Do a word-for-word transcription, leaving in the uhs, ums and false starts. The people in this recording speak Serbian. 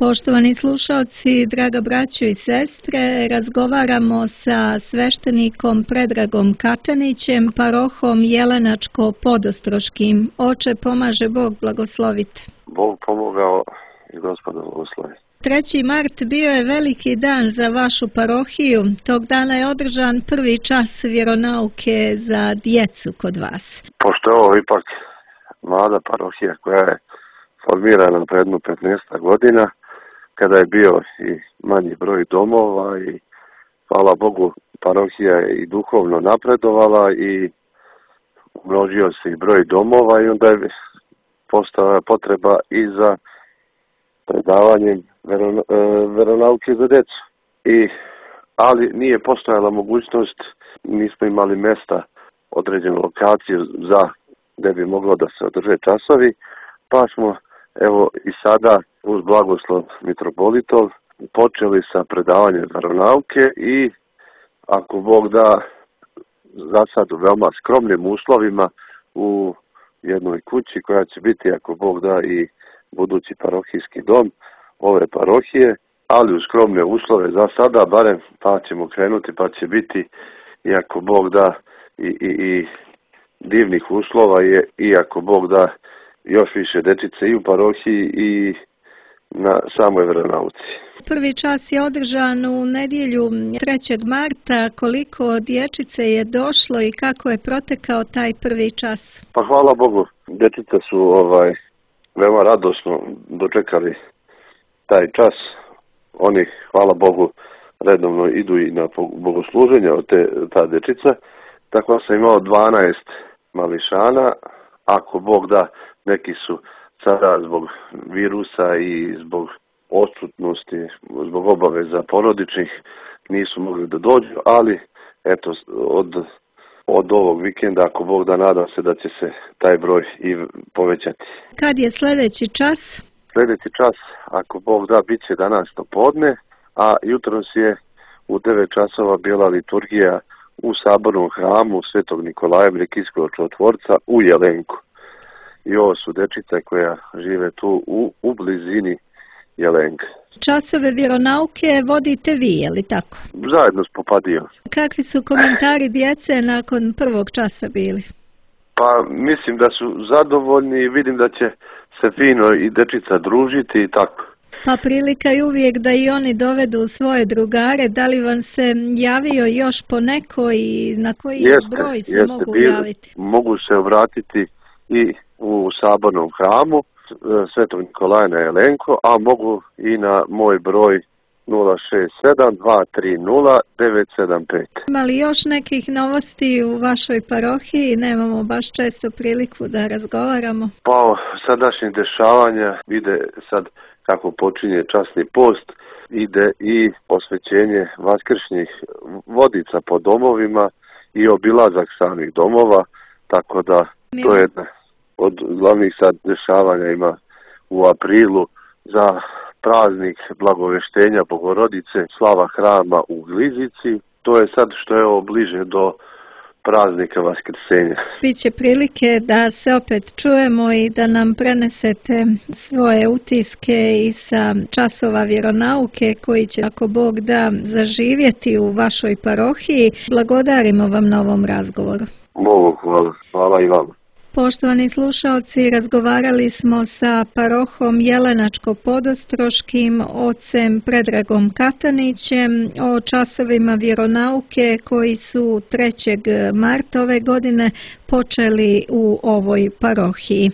Poštovani slušalci, draga braćo i sestre, razgovaramo sa sveštenikom Predragom Katanićem, parohom Jelenačko-Podostroškim. Oče, pomaže Bog, blagoslovite. Bog pomogao i Gospod blagoslovi. treći mart bio je veliki dan za vašu parohiju. Tog dana je održan prvi čas vjeronauke za djecu kod vas. Pošto je ovo ipak mlada parohija koja je formirana pred jedno petnaest godina, kada je bio i manji broj domova i hvala Bogu parohija je i duhovno napredovala i umnožio se i broj domova i onda je postala potreba i za predavanjem veronauke za djecu. I, ali nije postojala mogućnost, nismo imali mjesta, određenu lokaciju za gdje bi moglo da se održe časovi, pa smo evo i sada uz blagoslov mitropolitov počeli sa predavanjem veronauke i ako Bog da za sad u veoma skromnim uslovima u jednoj kući koja će biti ako Bog da i budući parohijski dom ove parohije, ali u skromne uslove za sada, barem pa ćemo krenuti pa će biti i ako Bog da i, i, i divnih uslova je i ako Bog da još više dečice i u parohiji i na samoj veronauci. Prvi čas je održan u nedjelju trećeg marta. Koliko dječice je došlo i kako je protekao taj prvi čas? Pa hvala Bogu, dječice su ovaj veoma radosno dočekali taj čas. Oni, hvala Bogu, redovno idu i na bogosluženja od te, ta dječica. Tako sam imao dvanaest mališana. Ako Bog da, neki su sada zbog virusa i zbog odsutnosti, zbog obaveza porodičnih, nisu mogli da dođu, ali eto, od, od ovog vikenda, ako Bog da, nadam se da će se taj broj i povećati. Kad je sljedeći čas? Sljedeći čas, ako Bog da, bit će danas do podne, a jutros je u devet časova bila liturgija u sabornom hramu Svetog Nikolaja Brekijskog čudotvorca u Jelenku. I ovo su dečice koja žive tu u, u blizini Jelenka. Časove vjeronauke vodite vi, je li tako? Zajedno s Popadijom. Kakvi su komentari djece nakon prvog časa bili? Pa mislim da su zadovoljni i vidim da će se fino i dečica družiti i tako. Pa prilika je uvijek da i oni dovedu svoje drugare. Da li vam se javio još po neko i na koji jeste, broj se jeste, mogu bil, javiti? Mogu se obratiti i u sabornom hramu Svetog Nikolaja na Jelenko, a mogu i na moj broj nula šest sedam dva tri nula devet sedam pet. Ima li još nekih novosti u vašoj parohiji? Nemamo baš često priliku da razgovaramo. Pa sadašnjih dešavanja ide sad kako počinje časni post, ide i osvećenje vaskršnjih vodica po domovima i obilazak samih domova, tako da to je jedna od glavnih sad dešavanja ima u aprilu za praznik blagoveštenja Bogorodice, slava hrama u Glizici. To je sad što je ovo bliže do praznika Vaskrsenja. Biće prilike da se opet čujemo i da nam prenesete svoje utiske i sa časova vjeronauke koji će, ako Bog da, zaživjeti u vašoj parohiji. Blagodarimo vam na ovom razgovoru. Bogu hvala. Hvala i vama. Poštovani slušalci, razgovarali smo sa parohom Jelenačko-Podostroškim, ocem Predragom Katanićem, o časovima vjeronauke koji su trećeg marta ove godine počeli u ovoj parohiji.